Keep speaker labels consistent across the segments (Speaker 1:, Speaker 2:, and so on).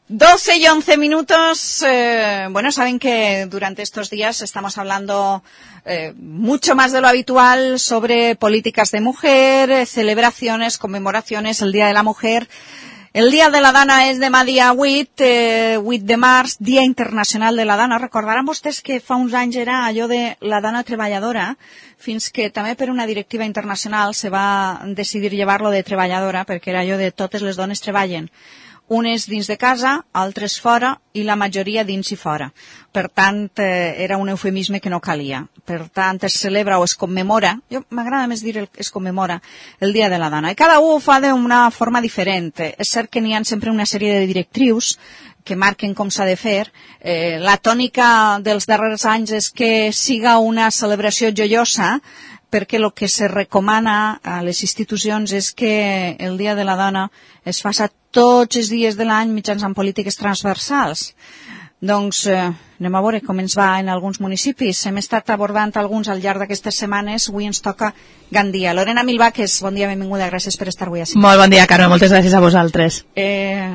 Speaker 1: 12 y 11 minutos. Bueno, saben que durante estos días estamos hablando mucho más de lo habitual sobre políticas de mujer, celebraciones, conmemoraciones, el Día de la Mujer. El Dia de la Dona és demà dia 8 de març, Dia Internacional de la Dona. Recordaran vostès que fa uns anys era allò de la dona treballadora, fins que també per una directiva internacional se va decidir llevar-lo de treballadora, perquè era allò de totes les dones treballen. Unes dins de casa, altres fora i la majoria dins i fora. Per tant, era un eufemisme que no calia. Per tant, es celebra o es commemora, jo m'agrada més dir es commemora, el Dia de la Dona. I cada un ho fa d'una forma diferent. És cert que n'hi ha sempre una sèrie de directrius que marquen com s'ha de fer. La tònica dels darrers anys és que siga una celebració joiosa, perquè el que se recomana a les institucions és que el Dia de la Dona es faci tots els dies de l'any mitjançant polítiques transversals. Doncs anem a veure com ens va en alguns municipis. Hem estat abordant alguns al llarg d'aquestes setmanes. Avui ens toca Gandia. Lorena Milvaques, bon dia, benvinguda, gràcies per estar avui així.
Speaker 2: Molt bon dia, Carme, moltes gràcies a vosaltres.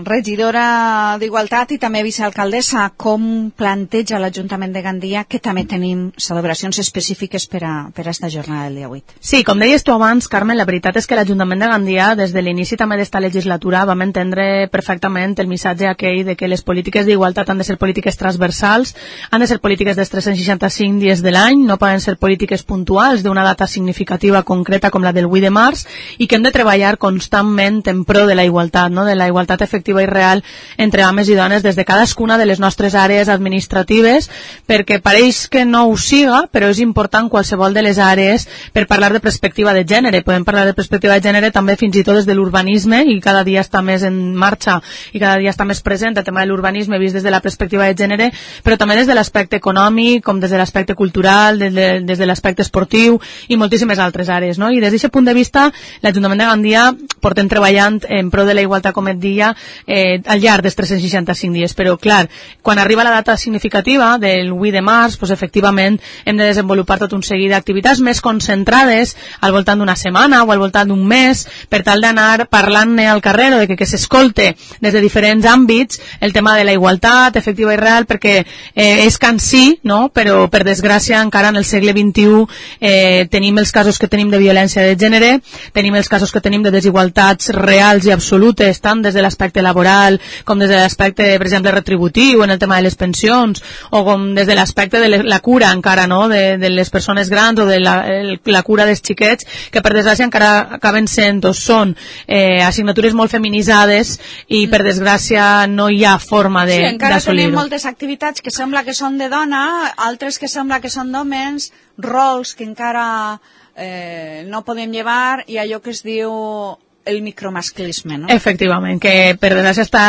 Speaker 1: Regidora d'Igualtat i també vicealcaldessa, com planteja l'Ajuntament de Gandia, que també tenim celebracions específiques per a esta jornada del dia 8?
Speaker 2: Sí, com deies tu abans, Carme, la veritat és que l'Ajuntament de Gandia, des de l'inici també d'esta legislatura, vam entendre perfectament el missatge aquell de que les polítiques d'igualtat han de ser polítiques transversals, han de ser polítiques dels 365 dies de l'any, no poden ser polítiques puntuals d'una data significativa concreta com la del 8 de març, i que hem de treballar constantment en pro de la igualtat, no? De la igualtat efectiva i real entre homes i dones des de cadascuna de les nostres àrees administratives, perquè pareix que no ho siga, però és important qualsevol de les àrees per parlar de perspectiva de gènere. Podem parlar de perspectiva de gènere també fins i tot des de l'urbanisme, i cada dia està més en marxa i cada dia està més present el tema de l'urbanisme vist des de la perspectiva de gènere, però també des de l'aspecte econòmic, com des de l'aspecte cultural, des de l'aspecte esportiu i moltíssimes altres àrees, no? I des d'aquest punt de vista, l'Ajuntament de Gandia portem treballant en pro de la igualtat, com et deia, al llarg dels 365 dies. Però, clar, quan arriba la data significativa del 8 de març, doncs, efectivament, hem de desenvolupar tot un seguit d'activitats més concentrades al voltant d'una setmana o al voltant d'un mes, per tal d'anar parlant-ne al carrer o de que s'escolte des de diferents àmbits el tema de la igualtat efectiva i real, perquè és cansí, no? Però per desgràcia encara en el segle XXI tenim els casos que tenim de violència de gènere, tenim els casos que tenim de desigualtats reals i absolutes, tant des de l'aspecte laboral com des de l'aspecte, per exemple, retributiu en el tema de les pensions, o com des de l'aspecte de la cura encara, no? De les persones grans o de la cura dels xiquets, que per desgràcia encara acaben sent o són assignatures molt feminitzades i per desgràcia no hi ha forma d'assolir-ho.
Speaker 1: Sí, encara tenim moltes activitats que sembla que són de dona, altres que sembla que són d'homes, rols que encara no podem llevar, i allò que es diu el micromasclisme, no?
Speaker 2: Efectivament, que per desgràcia està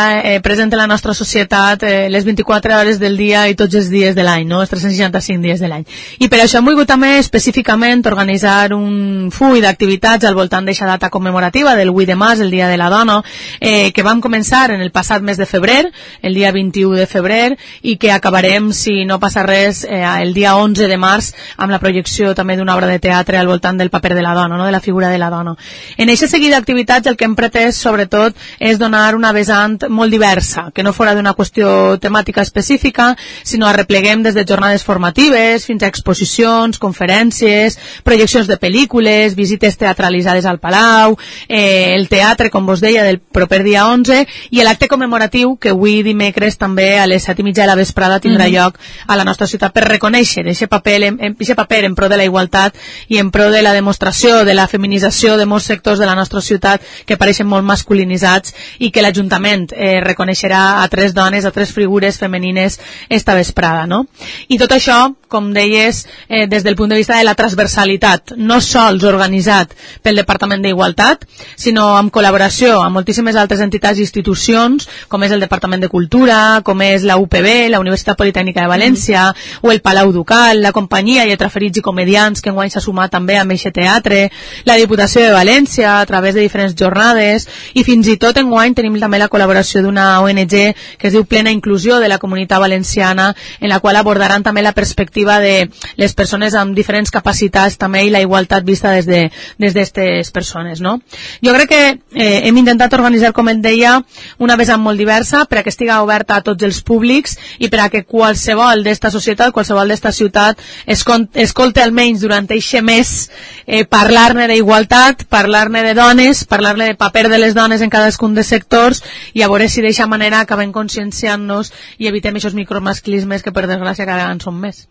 Speaker 2: present en la nostra societat les 24 hores del dia i tots els dies de l'any, no? Els 365 dies de l'any. I per això hem volgut també específicament organitzar un full d'activitats al voltant d'aquesta data commemorativa del 8 de març, el Dia de la Dona, que vam començar en el passat mes de febrer, el dia 21 de febrer, i que acabarem, si no passa res, el dia 11 de març, amb la projecció també d'una obra de teatre al voltant del paper de la dona, no? De la figura de la dona. En aquest seguit d'activitats el que hem pretès, sobretot, és donar una vessant molt diversa, que no fora d'una qüestió temàtica específica, sinó arrepleguem des de jornades formatives fins a exposicions, conferències, projeccions de pel·lícules, visites teatralitzades al Palau, el teatre, com vos deia, del proper dia 11, i l'acte commemoratiu que avui dimecres també a les 7:30 de la vesprada tindrà lloc a la nostra ciutat per reconèixer aquest paper en pro de la igualtat i en pro de la demostració de la feminització de molts sectors de la nostra ciutat que pareixen molt masculinitzats, i que l'Ajuntament reconeixerà a 3 dones, a 3 figures femenines esta vesprada, no? I tot això, com deies, des del punt de vista de la transversalitat, no sols organitzat pel Departament d'Igualtat, sinó en col·laboració amb moltíssimes altres entitats i institucions, com és el Departament de Cultura, com és la UPB, la Universitat Politècnica de València, o el Palau Ducal, la companyia Lletraferits i Comediants, que enguany s'ha sumat també amb aquest teatre, la Diputació de València, a través de diferents unes jornades, i fins i tot enguany tenim també la col·laboració d'una ONG que es diu Plena Inclusió de la Comunitat Valenciana, en la qual abordaran també la perspectiva de les persones amb diferents capacitats també i la igualtat vista des d'estes persones, no? Jo crec que hem intentat organitzar, com et deia, una vessant molt diversa per a que estigui oberta a tots els públics i per a que qualsevol d'esta societat, qualsevol d'esta ciutat escolte almenys durant eixe mes parlar-ne d'igualtat, parlar-ne de dones, parlar-ne de paper de les dones en cadascun dels sectors i a veure si d'eixa manera acabem conscienciant-nos i evitem aquests micromasclismes que per desgràcia cada vegada en són més.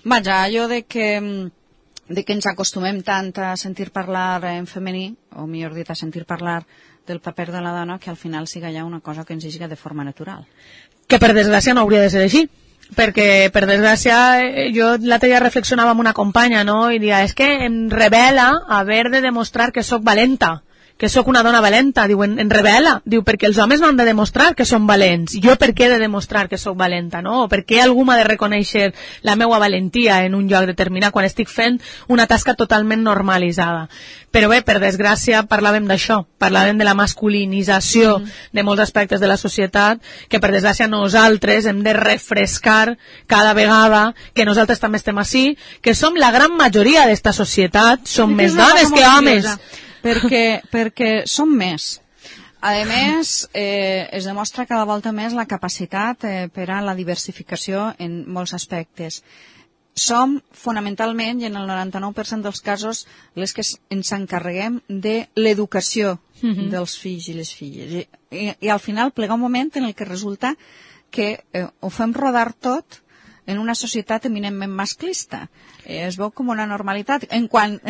Speaker 1: Vaja, allò de que ens acostumem tant a sentir parlar en femení, o millor dit, a sentir parlar del paper de la dona, que al final siga ja una cosa que ens siga de forma natural.
Speaker 2: Que per desgràcia no hauria de ser així, perquè per desgràcia jo l'altre dia reflexionava amb una companya, no? I dia, és que em revela haver de demostrar que sóc valenta, que sóc una dona valenta. Diu, en revela, diu, perquè els homes no han de demostrar que són valents, jo per què he de demostrar que sóc valenta, no? O per què algú m'ha de reconèixer la meua valentia en un lloc determinat quan estic fent una tasca totalment normalitzada. Però bé, per desgràcia parlàvem d'això, parlàvem de la masculinització de molts aspectes de la societat, que per desgràcia nosaltres hem de refrescar cada vegada que nosaltres també estem així, que som la gran majoria d'esta societat, som més dones que homes.
Speaker 1: Perquè som més. A més, es demostra cada volta més la capacitat per a la diversificació en molts aspectes. Som, fonamentalment, i en el 99% dels casos, les que ens encarreguem de l'educació dels fills i les filles. I al final plega un moment en el que resulta que ho fem rodar tot en una societat eminentment masclista. Es veu com una normalitat. En quant,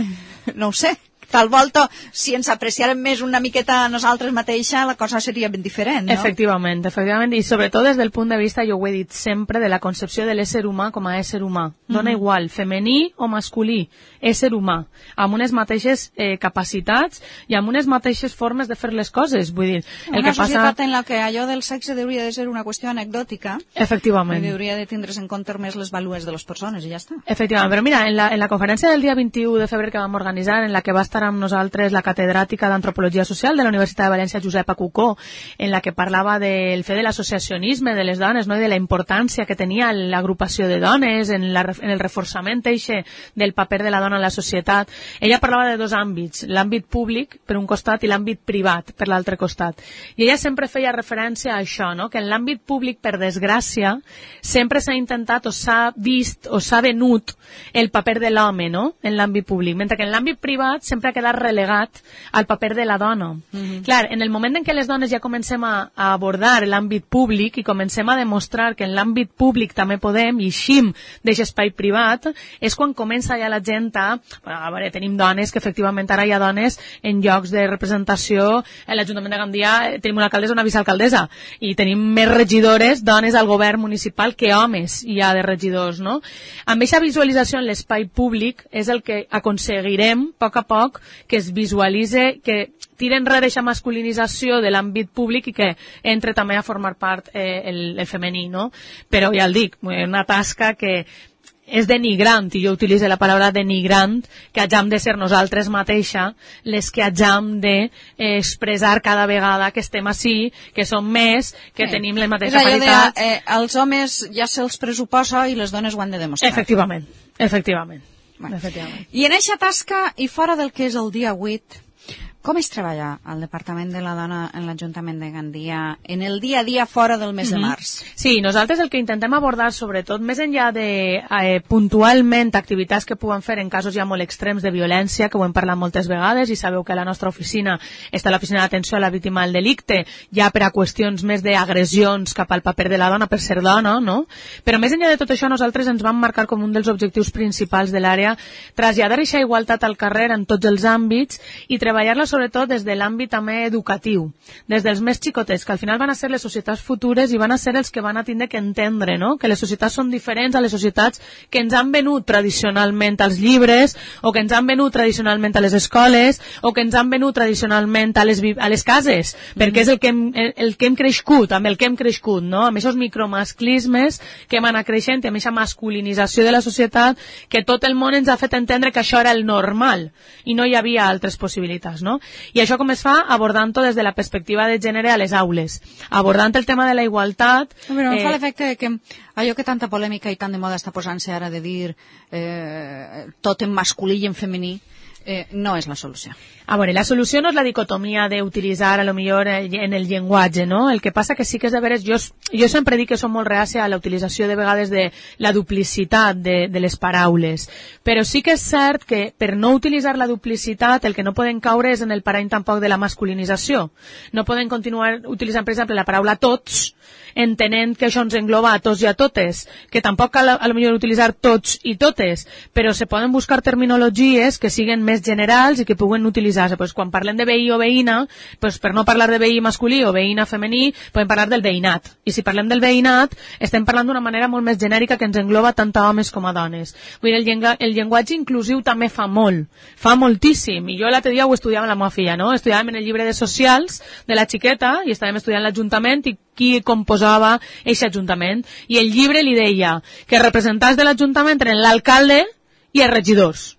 Speaker 1: no ho sé, tal volta, si ens apreciarem més una miqueta a nosaltres mateixa, la cosa seria ben diferent, no?
Speaker 2: Efectivament, i sobretot des del punt de vista, jo ho he dit sempre, de la concepció de l'ésser humà com a ésser humà. Dona igual, femení o masculí, ésser humà, amb unes mateixes capacitats i amb unes mateixes formes de fer les coses. Vull dir,
Speaker 1: una societat en la que allò del sexe hauria de ser una qüestió anecdòtica.
Speaker 2: Efectivament.
Speaker 1: I hauria de tindre's en compte més les vàlues de les persones i ja està.
Speaker 2: Efectivament, però mira, en la conferència del dia 21 de febrer que vam organitzar, en la que va estar amb nosaltres la catedràtica d'Antropologia Social de la Universitat de València, Josepa Cucó, en la que parlava del fet de l'associacionisme de les dones, no? I de la importància que tenia l'agrupació de dones en el reforçament del paper de la dona en la societat. Ella parlava de dos àmbits, l'àmbit públic per un costat i l'àmbit privat per l'altre costat. I ella sempre feia referència a això, no? Que en l'àmbit públic, per desgràcia, sempre s'ha intentat o s'ha vist o s'ha venut el paper de l'home, no? En l'àmbit públic, mentre que en l'àmbit privat sempre ha quedat relegat al paper de la dona. Clar, en el moment en què les dones ja comencem a abordar l'àmbit públic i comencem a demostrar que en l'àmbit públic també podem i eixim d'aquest espai privat, és quan comença ja la gent a veure, tenim dones, que efectivament ara hi ha dones en llocs de representació. En l'Ajuntament de Gandia tenim una alcaldessa, una vicealcaldessa, i tenim més regidores, dones al govern municipal, que homes hi ha de regidors, no? Amb aquesta visualització en l'espai públic és el que aconseguirem, a poc, que es visualitze, que tira enrere aquesta masculinització de l'àmbit públic i que entre també a formar part el femení, no? Però ja el dic, una tasca que és denigrant, i jo utilitzo la paraula denigrant, que hagam de ser nosaltres mateixa les que hagam d'expressar cada vegada que estem així, que som més, que tenim les mateixes qualitats.
Speaker 1: Els homes ja se'ls pressuposa i les dones ho han de demostrar.
Speaker 2: Efectivament.
Speaker 1: Bueno. I en aquesta tasca, i fora del que és el dia 8, com es treballa al Departament de la Dona en l'Ajuntament de Gandia en el dia a dia fora del mes de març?
Speaker 2: Sí, nosaltres el que intentem abordar, sobretot, més enllà de puntualment activitats que puguem fer en casos ja molt extrems de violència, que ho hem parlat moltes vegades, i sabeu que la nostra oficina està a l'oficina d'atenció a la víctima del delicte, ja per a qüestions més d'agressions cap al paper de la dona per ser dona, no? Però més enllà de tot això, nosaltres ens vam marcar com un dels objectius principals de l'àrea traslladar aquesta igualtat al carrer en tots els àmbits i treballar-la sobretot des de l'àmbit també educatiu, des dels més xicotets, que al final van a ser les societats futures i van a ser els que van a tindre que entendre, no? Que les societats són diferents a les societats que ens han venut tradicionalment als llibres, o que ens han venut tradicionalment a les escoles, o que ens han venut tradicionalment a les cases, perquè és el que hem crescut, amb el que hem crescut, no? Amb aquests micromasclismes que hem anat creixent, amb aquesta masculinització de la societat, que tot el món ens ha fet entendre que això era el normal i no hi havia altres possibilitats, no? no? I això com es fa? Abordant-ho des de la perspectiva de gènere a les aules. Abordant el tema de la igualtat...
Speaker 1: Però em fa l'efecte que allò que tanta polèmica i tant de moda està posant-se ara de dir tot en masculí i en femení, no és la solució.
Speaker 2: A veure, la solució no és la dicotomia d'utilitzar a lo millor en el llenguatge, no? El que passa que sí que és de veres, jo sempre dic que som molt reàcia a la utilització de vegades de la duplicitat de les paraules, però sí que és cert que per no utilitzar la duplicitat el que no poden caure és en el parany tampoc de la masculinització. No poden continuar utilitzant, per exemple, la paraula tots, entenent que això ens engloba a tots i a totes, que tampoc cal a lo millor utilitzar tots i totes, però se poden buscar terminologies que siguen més generals i que puguen utilitzar-se. Pues quan parlem de veí o veïna, pues per no parlar de veí masculí o veïna femení, podem parlar del veïnat. I si parlem del veïnat, estem parlant d'una manera molt més genèrica que ens engloba tant a homes com a dones. Vull dir, el llenguatge inclusiu també fa molt, fa moltíssim. I jo l'altre dia ho estudiava amb la meva filla, no? Estudiàvem en el llibre de socials de la xiqueta i estàvem estudiant l'Ajuntament i qui composava aquest Ajuntament. I el llibre li deia que representants de l'Ajuntament eren l'alcalde i els regidors.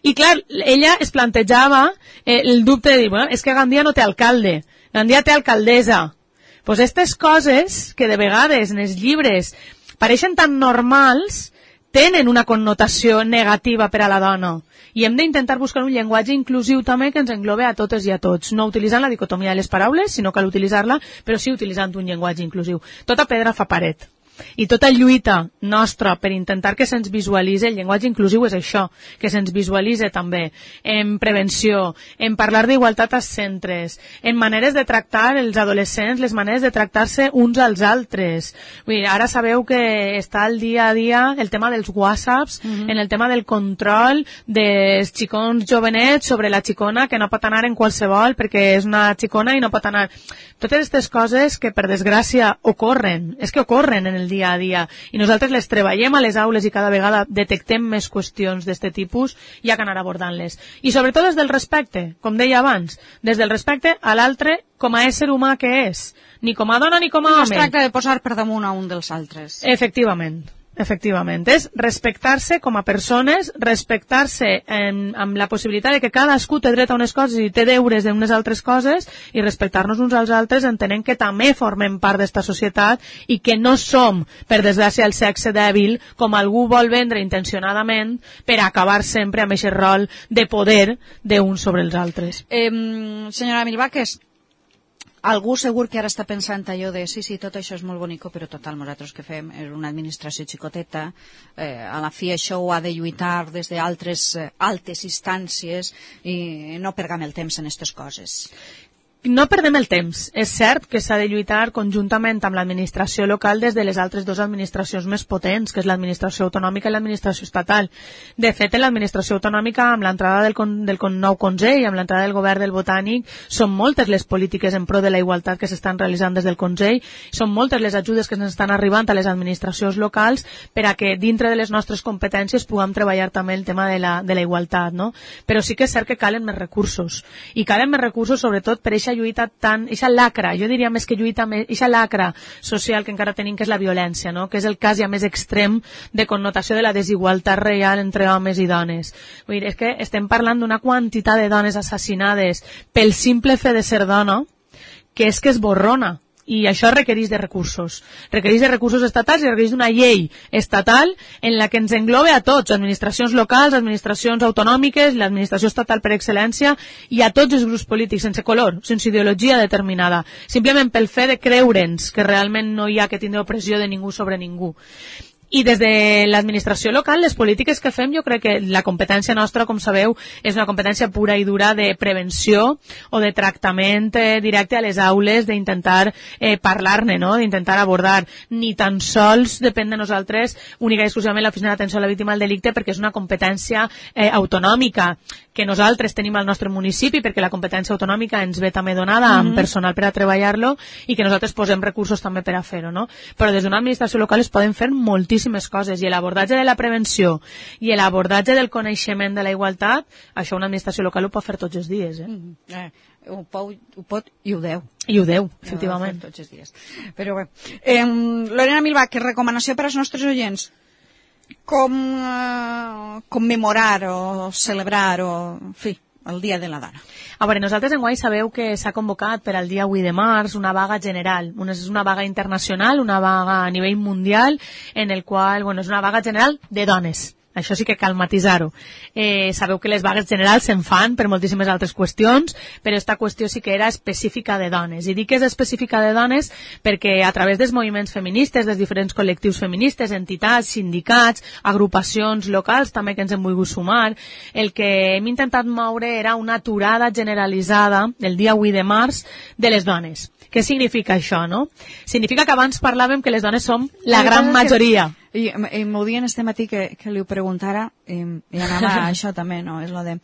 Speaker 2: I clar, ella es plantejava el dubte de dir, bueno, és que Gandia no té alcalde, Gandia té alcaldessa. Pues aquestes coses que de vegades en els llibres pareixen tan normals tenen una connotació negativa per a la dona. I hem d'intentar buscar un llenguatge inclusiu també que ens englobe a totes i a tots, no utilitzant la dicotomia de les paraules, sinó cal utilitzar-la, però sí utilitzant un llenguatge inclusiu. Tota pedra fa paret. I tota lluita nostra per intentar que se'ns visualitzi, el llenguatge inclusiu és això, que se'ns visualitzi també en prevenció, en parlar d'igualtat als centres, en maneres de tractar els adolescents, les maneres de tractar-se uns als altres. Vull dir, ara sabeu que està al dia a dia el tema dels whatsapps, en el tema del control dels xicons jovenets sobre la xicona que no pot anar en qualsevol perquè és una xicona i no pot anar. Totes aquestes coses que per desgràcia ocorren, és que ocorren en el dia a dia i nosaltres les treballem a les aules i cada vegada detectem més qüestions d'aquest tipus i ha que anar abordant-les. I sobretot des del respecte, com deia abans, des del respecte a l'altre com a ésser humà que és, ni com a dona ni com a home.
Speaker 1: No es tracta de posar per damunt a un dels altres.
Speaker 2: Efectivament. Efectivament, és respectar-se com a persones, respectar-se amb la possibilitat de que cadascú té dret a unes coses i té deures d'unes altres coses i respectar-nos uns als altres entenent que també formem part d'esta societat i que no som, per desgràcia, el sexe dèbil com algú vol vendre intencionadament per acabar sempre amb aquest rol de poder d'uns sobre els altres.
Speaker 1: Senyora Milvaques, algú segur que ara està pensant allò de sí, tot això és molt bonico, però total, nosaltres que fem és una administració xicoteta, a la fi això ho ha de lluitar des d'altres altes instàncies i no pergam el temps en aquestes coses.
Speaker 2: No perdem el temps. És cert que s'ha de lluitar conjuntament amb l'administració local des de les altres dues administracions més potents, que és l'administració autonòmica i l'administració estatal. De fet, en l'administració autonòmica, amb l'entrada del nou Consell, amb l'entrada del govern del Botànic, són moltes les polítiques en pro de la igualtat que s'estan realitzant des del Consell, són moltes les ajudes que ens estan arribant a les administracions locals per a que dintre de les nostres competències puguem treballar també el tema de la igualtat, no? Però sí que és cert que calen més recursos. I calen més recursos sobretot per eixa lluita eixa lacra, jo diria més que lluita, eixa lacra social que encara tenim, que és la violència, no? Que és el cas ja més extrem de connotació de la desigualtat real entre homes i dones. Vull dir, és que estem parlant d'una quantitat de dones assassinades pel simple fet de ser dona que és borrona. I això requereix de recursos estatals i requereix d'una llei estatal en la que ens englobe a tots, administracions locals, administracions autonòmiques, l'administració estatal per excel·lència i a tots els grups polítics, sense color, sense ideologia determinada, simplement pel fet de creure'ns que realment no hi ha que tindre opressió de ningú sobre ningú. I des de l'administració local, les polítiques que fem, jo crec que la competència nostra, com sabeu, és una competència pura i dura de prevenció o de tractament directe a les aules, d'intentar parlar-ne, no? D'intentar abordar. Ni tan sols depèn de nosaltres única i exclusivament l'Oficina d'Atenció a la Víctima del Delicte, perquè és una competència autonòmica que nosaltres tenim al nostre municipi, perquè la competència autonòmica ens ve també donada amb personal per a treballar-lo i que nosaltres posem recursos també per a fer-ho, no? Però des d'una administració local es poden fer moltíssimes coses i l'abordatge de la prevenció i l'abordatge del coneixement de la igualtat, això una administració local ho pot fer tots els dies.
Speaker 1: Ho pot i ho deu.
Speaker 2: I ho deu, efectivament.
Speaker 1: Tots els dies. Però bé. Lorena Milvaques, recomanació per als nostres oients. Com commemorar o celebrar o, en fi, el Dia de la Dona.
Speaker 2: A veure, nosaltres enguany sabeu que s'ha convocat per al dia 8 de març una vaga general. És una vaga internacional, una vaga a nivell mundial, en el qual, és una vaga general de dones. Això sí que cal matisar-ho. Sabeu que les vagues generals se'n fan per moltíssimes altres qüestions, però esta qüestió sí que era específica de dones. I dic que és específica de dones perquè a través dels moviments feministes, dels diferents col·lectius feministes, entitats, sindicats, agrupacions locals també que ens hem volgut sumar, el que hem intentat moure era una aturada generalitzada el dia 8 de març de les dones. Què significa això, no? Significa que abans parlàvem que les dones som la gran majoria.
Speaker 1: I m'ho dient este matí que li ho preguntara i anava a això també, no? És lo de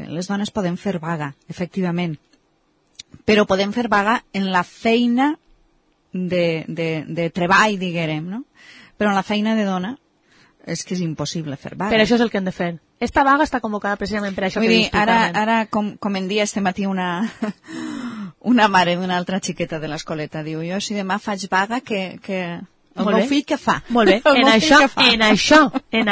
Speaker 1: les dones podem fer vaga, efectivament, però podem fer vaga en la feina de treball, diguem, no? Però en la feina de dona és que és impossible fer vaga.
Speaker 2: Per això és el que hem de fer. Esta vaga està convocada precisament per això que dius tu, Carmen.
Speaker 1: Ara, com em dia este matí una mare d'una altra xiqueta de l'escoleta, diu, jo si demà faig vaga que el meu fill què fa?
Speaker 2: Molt bé, en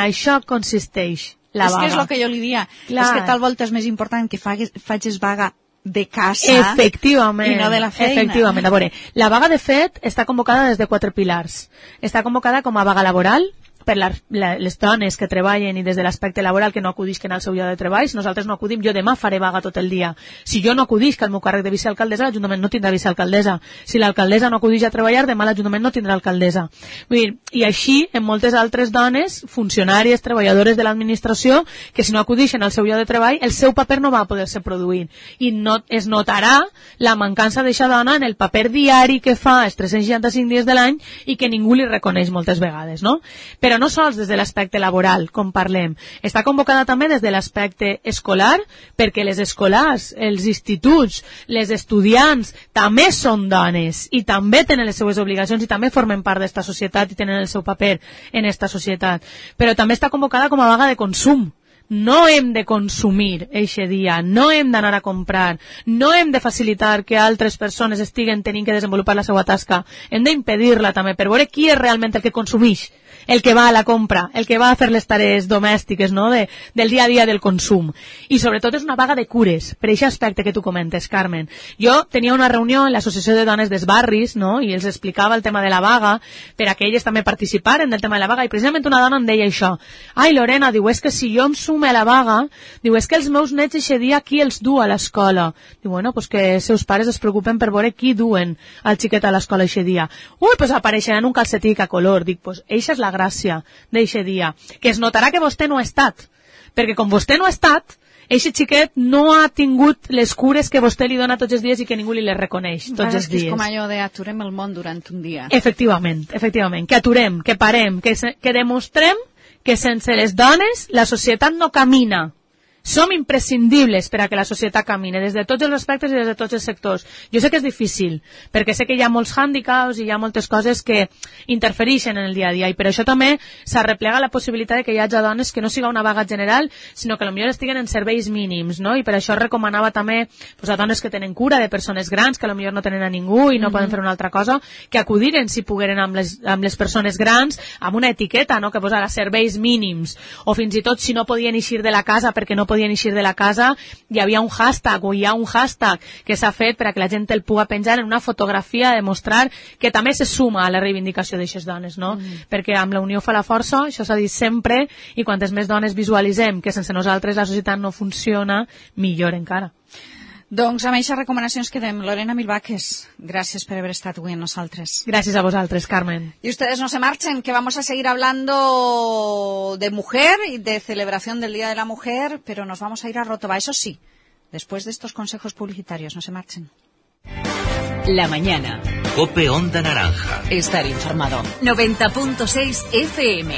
Speaker 2: això consisteix la vaga.
Speaker 1: És que és el que jo li dia.
Speaker 2: Clar.
Speaker 1: És que tal volta és més important que facis vaga de casa
Speaker 2: efectivament,
Speaker 1: i no de la feina.
Speaker 2: Efectivament. A veure, la vaga de fet està convocada des de 4 pilars. Està convocada com a vaga laboral, per les dones que treballen i des de l'aspecte laboral que no acudisquen al seu lloc de treball. Si nosaltres no acudim, jo demà faré vaga tot el dia. Si jo no acudisc al meu càrrec de vicealcaldessa, l'Ajuntament no tindrà vicealcaldessa. Si l'alcaldessa no acudix a treballar, demà l'Ajuntament no tindrà alcaldessa. Vull dir, i així en moltes altres dones, funcionàries, treballadores de l'administració, que si no acudixen al seu lloc de treball, el seu paper no va poder-se produir. I no, es notarà la mancança d'eixa dona en el paper diari que fa els 365 dies de l'any i que ningú li reconeix moltes vegades, no? Però no sols des de l'aspecte laboral, com parlem. Està convocada també des de l'aspecte escolar, perquè les escolars, els instituts, les estudiants, també són dones i també tenen les seues obligacions i també formen part d'esta societat i tenen el seu paper en esta societat. Però també està convocada com a vaga de consum. No hem de consumir eixe dia, no hem d'anar a comprar, no hem de facilitar que altres persones estiguen tenint que desenvolupar la seva tasca. Hem d'impedir-la també per veure qui és realment el que consumeix, el que va a la compra, el que va a fer les tarees domèstiques, no? Del dia a dia del consum. I sobretot és una vaga de cures, per aquest aspecte que tu comentes, Carmen. Jo tenia una reunió en l'Associació de Dones dels Barris, no? I els explicava el tema de la vaga, per a que elles també participaren del tema de la vaga, i precisament una dona em deia això. Ai, Lorena, diu, és que si jo em sume a la vaga, diu, és que els meus nets eixe dia qui els du a l'escola? Diu, bueno, pues que seus pares es preocupen per veure qui duen al xiquet a l'escola eixe dia. Ui, pues apareixeran un calcetí a color. Dic, pues eixa és la gràcia d'eixe dia, que es notarà que vostè no ha estat, perquè com vostè no ha estat, eixe xiquet no ha tingut les cures que vostè li dona tots els dies i que ningú li les reconeix tots els dies.
Speaker 1: És com allò d'aturem el món durant un dia.
Speaker 2: Efectivament, que aturem, que parem, que demostrem que sense les dones la societat no camina. Som imprescindibles per a que la societat camine des de tots els aspectes i des de tots els sectors. Jo sé que és difícil, perquè sé que hi ha molts hàndicaps i hi ha moltes coses que interfereixen en el dia a dia, i per això també s'arreplega la possibilitat de que hi hagi dones que no siga una vaga general, sinó que potser estiguen en serveis mínims, no? I per això recomanava també a dones que tenen cura de persones grans, que potser no tenen a ningú i no poden fer una altra cosa, que acudiren, si pogueren, amb les persones grans, amb una etiqueta, no?, que posara serveis mínims, o fins i tot si no podien eixir de la casa perquè no podien eixir de la casa, hi havia un hashtag o hi ha un hashtag que s'ha fet per a que la gent el pugui penjar en una fotografia, demostrar que també se suma a la reivindicació d'aixes dones, no? Perquè amb la unió fa la força, això s'ha dit sempre, i quantes més dones visualitzem que sense nosaltres la societat no funciona, millor encara.
Speaker 1: Doncs amb aquestes recomanacions quedem. Lorena Milvaques, gràcies por haber estat avui amb nosaltres.
Speaker 2: Gracias a vosotros, Carmen.
Speaker 1: Y ustedes no se marchen, que vamos a seguir hablando de mujer y de celebración del Día de la Mujer, pero nos vamos a ir a Rotova, eso sí, después de estos consejos publicitarios. No se marchen.
Speaker 3: La mañana.
Speaker 4: COPE Onda Naranja.
Speaker 3: Estar informado. 90.6 FM.